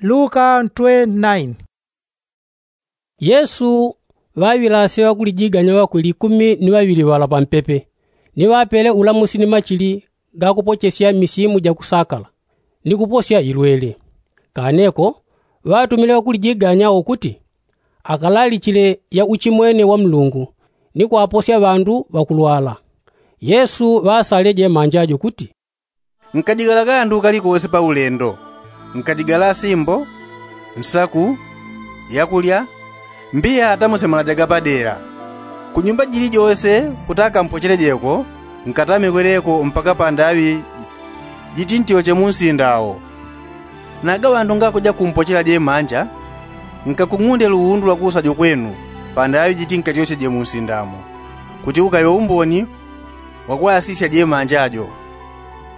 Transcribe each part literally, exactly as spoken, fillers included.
Luka ntwe naini. Yesu ŵaŵilase ŵakulijiganya ŵakwe likumi ni ŵaŵili ŵala pampepe, ni ŵapele ulamusi ni machili ga kupochesya misimu ja kusakala, ni kuposya ilwele. Kaneko ŵatumile ŵakulijiganya wo kuti akalalichile ya uchimwene wa mlungu, ni kwaposya ŵandu ŵakulwala. Yesu ŵasalile jemanja jo kuti, nkajigala kandu kalikose pa ulendo. Nkajigala asimbo, nsaku, yakulya, mbiya atamusemala jagapadela. Kunyumba jilijose kutakampochele jeko, nkatame kweleko mpaka pandaŵi jitintyoche munsinda wo. Naga ŵandu ngakuja kumpochela jemanja, nkakung'unde luwundu lwakusa jo kwenu pandaŵi jitinkatyosye je munsinda mo, kuti ukaŵe umboni wakwasisya jemanja jo.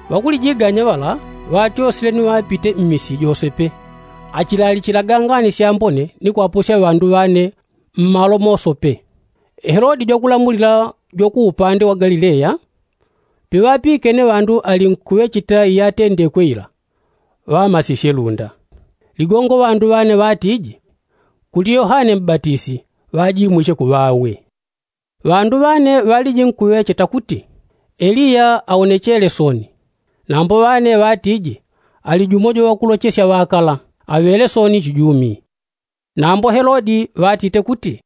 Ŵakulijiganya ŵala ŵatyosile ni ŵapite mmisi jose pe, achilalichilaga ngani syambone ni kwaposya ŵandu ŵane mmalo mose pe. Helodi jwakulamulila jwakuupande wa galileya, piŵapikene ŵandu ali nkuŵecheta iyatendekwe ila, ŵamasisye lunda. Ligongo ŵandu ŵane ŵatiji, kuli yohane mbatisi ŵajimwiche kuŵawe. Ŵandu ŵane ŵaliji nkuŵecheta kuti, eliya aonechele soni. Nambo ŵane ŵatiji, ali jumo jwaŵakulochesya ŵakala aŵele soni chijumi. Nambo helodi ŵatite kuti,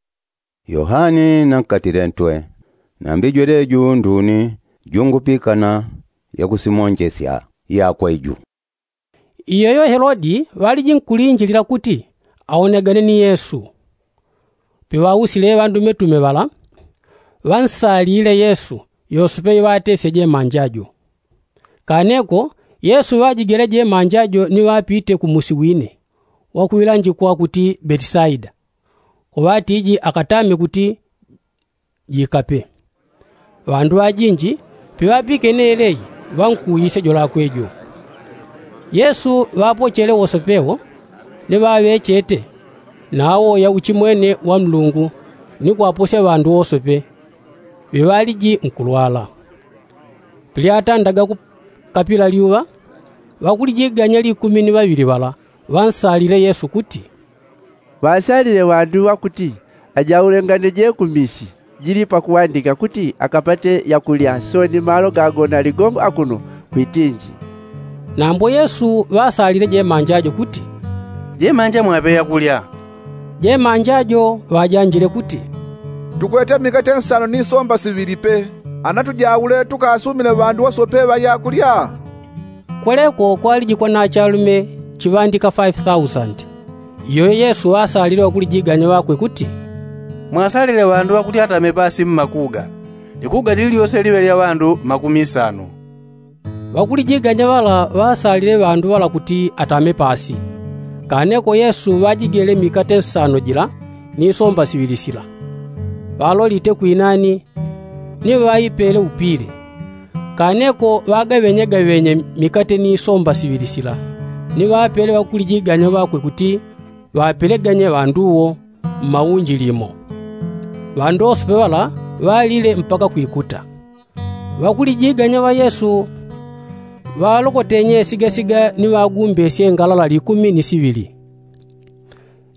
yohane nankatile ntwe, nambi jweleju nduni jungupikana yakusimonjesya yakwe ju. Iyoyo helodi ŵaliji nkulinjilila kuti aonegane ni yesu. Piŵausile ŵandumetume ŵala, ŵansalile yesu, yose pe iŵatesye jemanja jo. Kaneko yesu ŵajigele jemanja jo ni ŵapite kumusi wine wakuŵilanjikwa kuti betisaida, kuŵatiji akatame kuti jikape. Ŵandu ŵajinji piŵapikene eleyi, ŵankuuyisye jolakwe jo. Yesu ŵapochele wose pe wo, ni ŵaŵechete, nawo ya uchimwene wa nlungu, ni kwaposya ŵandu wose pe, ŵiŵaliji nkulwala. Pilyatandaga kukapila lyuŵa, ŵakulijiganya likumi ni ŵaŵili ŵala ŵansalile yesu kuti, ŵasalile ŵandu ŵakuti ajaulengane je kumisi jili pakuŵandika kuti akapate yakulya soni malo gagona ligongo akuno kwitinji. Nambo yesu ŵasalile jemanja jo kuti, jemanja mwaŵe yakulya. Jemanja jo ŵajanjile kuti, tukwete mikate nsano ni somba siŵili pe. Anatujaule tukasumile ŵandu wose pe ŵa yakulya. Kweleko kwaliji kwanachalume chiŵandika faifi thausandi. Iyoyo yesu ŵasalile ŵakulijiganya ŵakwe kuti, mwasalile ŵandu ŵakuti atame pasi mmakuga. Likuga lililyose liŵe lya ŵandu makumi nsanu. Ŵakulijiganya ŵala ŵasalile ŵandu ŵala kuti atame pasi. Kaneko yesu ŵajigele mikate nsano jila ni somba siŵili sila, ŵalolite kwinani, ni ŵaipele upile. Kaneko ŵagaŵenyegaŵenye mikate ni somba siŵili sila, ni ŵapele ŵakulijiganya ŵakwe kuti ŵapeleganye ŵandu wo mmaunjili mo. Ŵandu wose pe ŵala ŵalile mpaka kwikuta. Ŵakulijiganya ŵa yesu ŵalokotenye sigasiga ni ŵagumbesye ngalala likumi ni siŵili.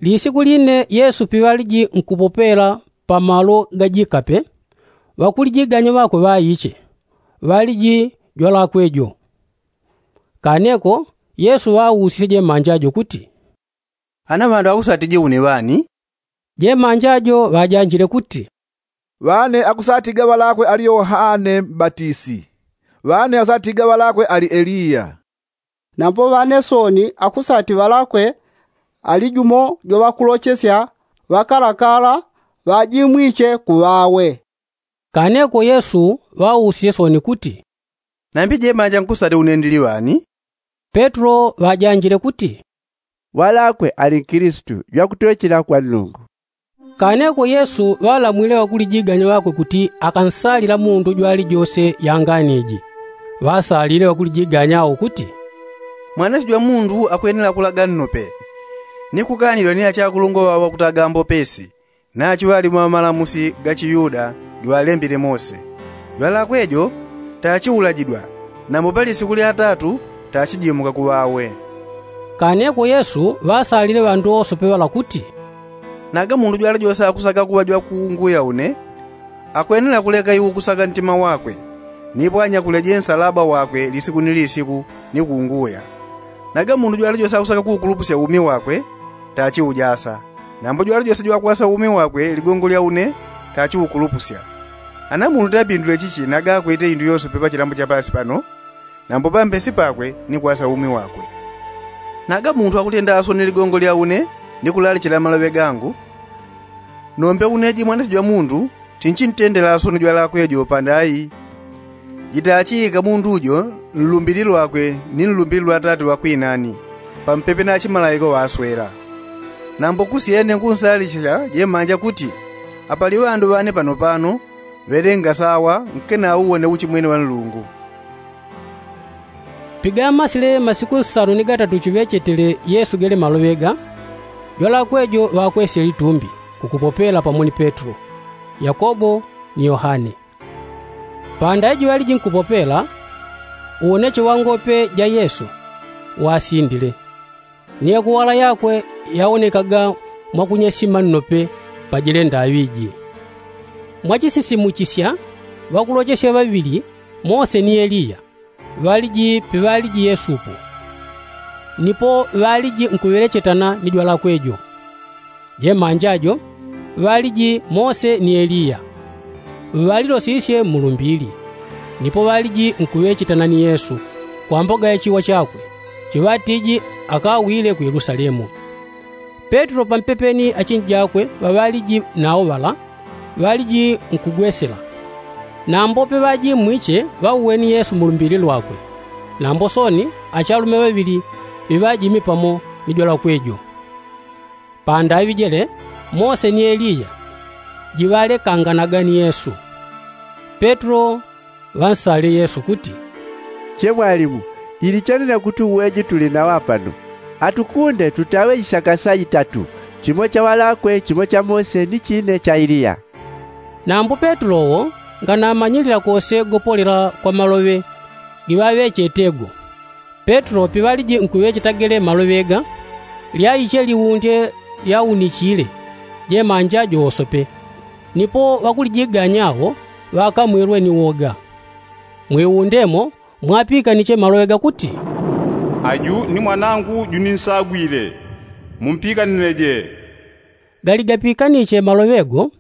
Lisiku line yesu piŵaliji nkupopela pamalo gajikape, ŵakulijiganya ŵakwe ŵaiche, ŵaliji jwalakwe jo. Kaneko yesu ŵausisye jemanja jo kuti, ana ŵandu akusatije une ŵani? Jemanja jo ŵajanjile kuti, ŵane akusatiga ŵalakwe ali yohane mbatisi. Ŵane akusatiga ŵalakwe ali eliya. Nambo ŵane soni akusati ŵalakwe ali jumo jwaŵakulochesya ŵakalakala ŵajimwiche kuŵawe. Kaneko yesu ŵausisye soni kuti, nambi jemanja nkusati une ndili ŵani? Petulo ŵajanjile kuti, ŵalakwe ali nkilisitu jwakutwechela kwa nlungu. Kaneko yesu ŵalamwile ŵakulijiganya ŵakwe kuti akansalila mundu jwalijose yangani iji. Ŵasalile ŵakulijiganya wo kuti, mwanasi jwa mundu akwenela kulaga nnope, ni kukanilwa ni achakulungwa ŵaŵo ŵakutaga mbopesi, nachu ŵali mwa malamusi ga chiyuda giŵalembile mose. Jwalakwe jo tachiulajidwa, nambo pa lisiku lya tatu tachijimuka kuŵawe. Kaneko yesu ŵasalile ŵandu wosope ŵala kuti, naga mundu jwali jose akusaka kuŵa jwakunguya une, akwenela kuleka iwo kusaka ntima wakwe, nipo anyakuleje nsalaba wakwe lisiku ni lisiku ni kunguya. Naga mundu jwali jose akusaka kuukulupusya umi wakwe, tachiujasa. Nambo jwali jose jwakwasa umi wakwe ligongo lya une, tachiukulupusya. Ana mundu tapindule chichi naga akwete indu yosope pachilambo cha pasi pano, nambo pambesi pakwe ni kwasa umi wakwe. Naga mundu akutenda asoni ligongo lya une ni kulalichila maloŵe gangu, nombe une jimwana jwa mundu, tinchintendela asoni jwalakwe jo pandai. Jitachiika mundu jo nlumbili lwakwe ni nlumbili lwa tate wakwinani, pampepe na chimalaika waswela. Nambo kusyene nkunsalicha jemanja kuti, apali ŵandu ŵane pano pano, ŵelenga sawa, nkenauwone uchimwene wa nlungu. Pigamasile masiku nsanu ni gatatu chiŵechetele yesu gele maloŵe ga, jwalakwe jo ŵakwesye litumbi, kukupopela pamo ni petro, yakobo, ni yohane. Panda ijo aliji nkupopela, uwoneche wa ngope ja yesu, wasindile, ni yakuwala yakwe yawonekaga mwakunyesima nnope, pajile ndaŵi ji. Mwachisisimuchisya, ŵakulochesya ŵaŵili, mose ni eliya, ŵaliji piŵaliji yesu po, nipo ŵaliji nkuŵelechetana ni jwalakwe jo. Jemanja jo, ŵaliji mose ni eliya, ŵalilosisye mmulumbili, nipo ŵaliji nkuŵechetana ni yesu, kwa mboga ya chiwa chakwe, chiŵatiji akawile ku yelusalemu. Petro pampepeni achinjakwe ŵaŵaliji nawo ŵala, ŵaliji nkugwesela. Nambo piŵaji mmwiche ŵauweni yesu mulumbili lwakwe, nambo soni achalume ŵaŵili piŵajimi pamo ni jwalakwe jo. Pandaŵi jele, mose ni eliya, jiŵalekanganaga ni yesu. Petro ŵansalile yesu kuti, che mwalimu, ilichanena kuti uweji tuli nawo apano, atukunde tutaŵe isaka saitatu, chimo cha ŵalakwe, chimo cha mose ni chine cha eliya. Nambo petro wo, nganamanyilila kose gopolela kwa maloŵe giŵaŵechete go. Petro piŵaliji nkuŵecheta gele maloŵe ga, lyaiche liwunde lyaunichile, jemanja jo wosope. Nipo ŵakulijiganya wo, ŵakamwilwe ni woga. Mwiwunde mo, mwapikaniche maloŵe gakuti, aju ni mwanangu juninsagwile, mumpikanileje. Galigapikaniche maloŵe go,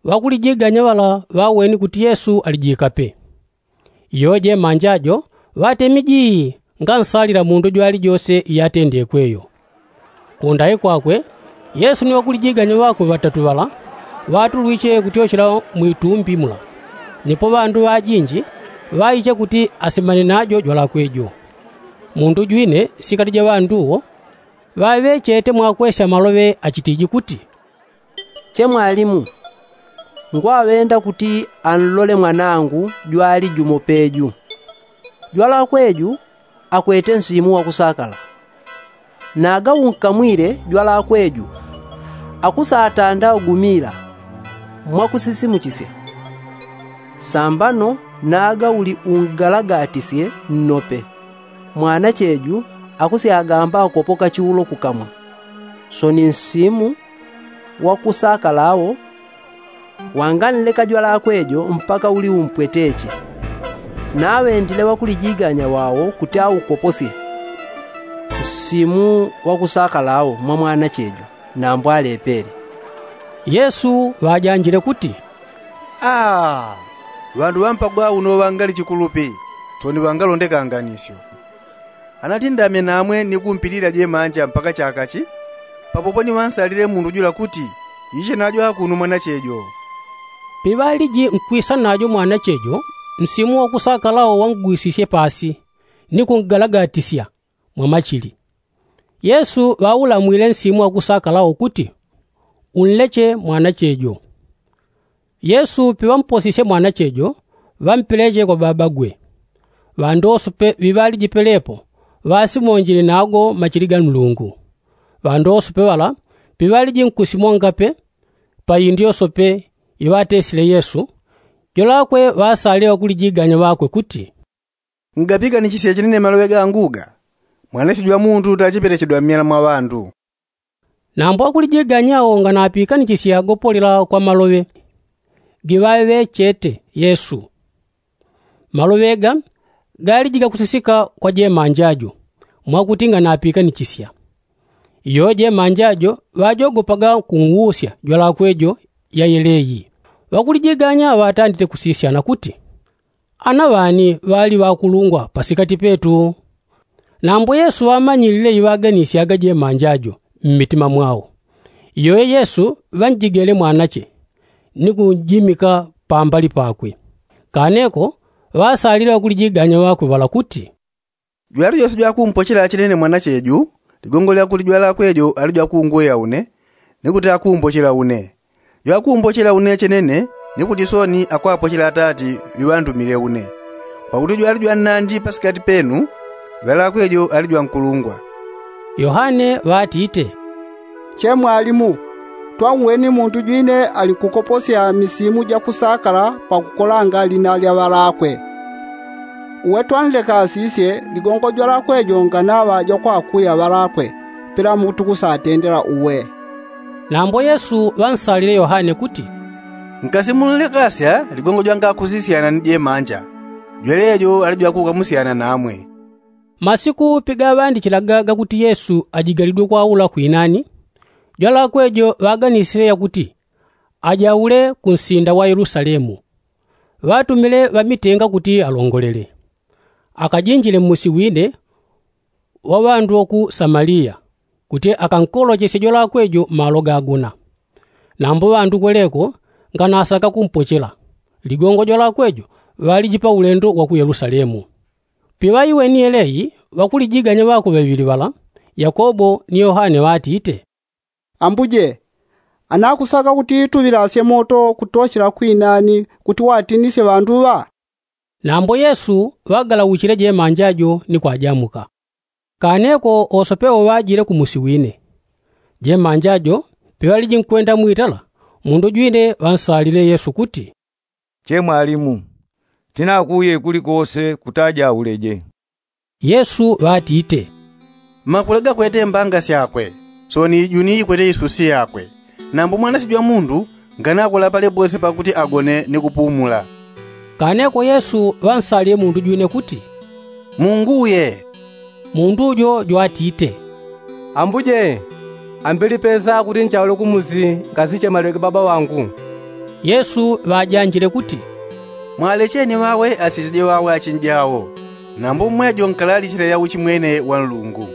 ŵakulijiganya ŵala ŵaweni kuti yesu alijikape. Iyo jemanja jo, ŵatemi jii, ngansalila mundu jwalijose iyatendekwe yo. Kundayi kwakwe, yesu ni ŵakulijiganya ŵakwe ŵatatu ŵala, ŵatulwiche kutyochela mwitumbi mula. Nipo ŵandu ŵajinji, ŵaiche kuti asemane najo jwalakwe jo. Mundu jwine sikati ja ŵandu wo, ŵaŵechete mwakwesya maloŵe achitiji kuti, che mwalimu, ngwaŵenda kuti anlole mwanangu jwali jumo peju. Jwalakwe ju akwete nsimu wakusakala. Naga unkamwile jwalakwe ju, akusatanda ugumila, mwakusisimuchisya. Sambano naga uli ungalagatisye nnope, mwanache ju akusyagamba akopoka chiulo kukamwa. Soni nsimu wakusakala wo, wanganleka jwalakwe jo mpaka uli umpweteche. Naŵendile ŵakulijiganya ŵawo kuti aukoposye nsimu wakusakala wo mwa mwanache jo, nambo alepele. Yesu ŵajanjile kuti, aa, ŵandu ŵampagwa uno ŵangali chikulupi, soni ŵangalonde kanganisyo. Anatindamye namwe ni kumpilila jemanja mpaka chakachi, papopo ni ŵansalile mundu jula kuti, iche najo akuno mwanache jo. Piŵaliji nkwisa najo mwanache jo, nsimu wakusakala wo wangwisisye pasi, ni kungalagatisya mwa machili. Yesu ŵaulamwile nsimu wakusakala wo kuti, unleche mwanache jo. Yesu piŵamposisye mwanache jo, ŵampeleche kwa babagwe. Ŵandu wosope ŵiŵaliji pelepo, ŵasimonjile nago machili ga nlungu. Ŵandu wosope ŵala piŵaliji nkusimonga pe, pa indu yosope iŵatesile yesu, jolakwe ŵasalile ŵakulijiganya ŵakwe kuti, ngapiganishisye chinene maloŵe gangu ga? Mwanache jwa mundu tachipelechedwa mmyela mwa ŵandu. Nambo akulijiganya awo nganapikanijisya gopolela kwa maloŵe giŵaŵechete yesu. Maloŵe ga galijika kusisika kwa jemanja jo mwakuti nganapikanijisya. Iyo jemanja jo ŵajogopaga kunwusya jwalakwe jo yayeleyi. Ŵakulijiganya ŵatandite kusisyana kuti, ana ŵani ŵali ŵakulungwa pasikati petu? Nambo yesu ŵamanyilile iŵaganisyaga jemanja jo mmitima mwao. Iyoyo yesu ŵanjigele mwanache ni kunjimika pambali pakwe. Kaneko ŵasalile ŵakulijiganya ŵakwe ŵala kuti, jwali jose jwakumpochela chenene mwanache ju, ligongo lyakuti jwalakwe jo ali jwakungweya une, ni kuti akumpochela une. Jwakumpochela une chenene, ni kuti soni akwapochela atati ŵiŵandumile une. Pakuti jwali jwannandi pasikati penu, jwalakwe jo ali jwankulungwa. Yohane ŵatite, che mwalimu, twanweni mundu jwine alinkukoposya misimu jakusakala pakukolanga lina lya ŵalakwe. Uwe twanleka asisye ligongo jwalakwe jo nganaŵa jwakwakuya ŵalakwe, pela mutu kusatendela uwe. Nambo yesu ŵansalile yohane kuti, nkasi munlekasya ligongo jwangakusisyana ni jemanja, jwelejo ali jwakukamusyana namwe. Masiku pigaŵandichilaga gakuti yesu ajigalidwe kwaula kwinani, jwalakwe jo ŵaganisile yakuti ajaule kunsinda wa yelusalemu. Ŵatumile ŵamitenga kuti alongolele, akajinjile mmusi wine wa ŵandu ŵa ku samaliya, kuti akankolochesye jwalakwe jo malo gagona. Nambo ŵandu kweleko nganasaka kumpochela, ligongo jwalakwe jo ŵaliji pa ulendo wa ku yelusalemu. Piŵaiweni yeleyi ŵakulijiganya ŵakwe ŵaŵili ŵala, yakobo ni yohane ŵatite, ambuje, anakusaka kuti tuŵilasye moto kutochela kwinani kuti watinisye ŵandu ŵa? Nambo yesu ŵagalauchile jemanja jo ni kwajamuka. Kaneko ose pewo ŵajile kumusi wine. Jemanja jo peŵaliji nkwenda mwitala, mundu jwine ŵansalile yesu kuti, che mwalimu, tinakuye kulikose kutajauleje. Yesu ŵatite, makule gakwete mbanga syakwe, soni juni ikwete isusi yakwe. Nambo mwanache jwa mundu nganakula pale pose pakuti agone ni kupumula. Kaneko yesu ŵansalile mundu jwine kuti, munguye. Mundu jo jwatite, ambuje, ambili pesa kuti nchaule kumusi nkasiche maleke baba wangu. Yesu ŵajanjile kuti, mwalecheni ŵawe asicheje ŵawe achinjawo. Nambo mmwejo nkalalichile ya uchimwene wa nlungu.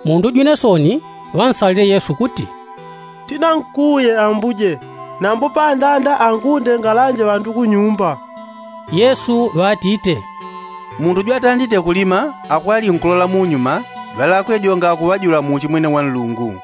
Mundu jwine soni ŵansalile yesu kuti, tinankuye ambuje, nambo pandanda angunde ngalanje ŵandu kunyumba. Yesu ŵatite, mundu jwatandite kulima akwali nkulola munyuma, jwalakwe jo ngakuŵajula muuchimwene wa nlungu.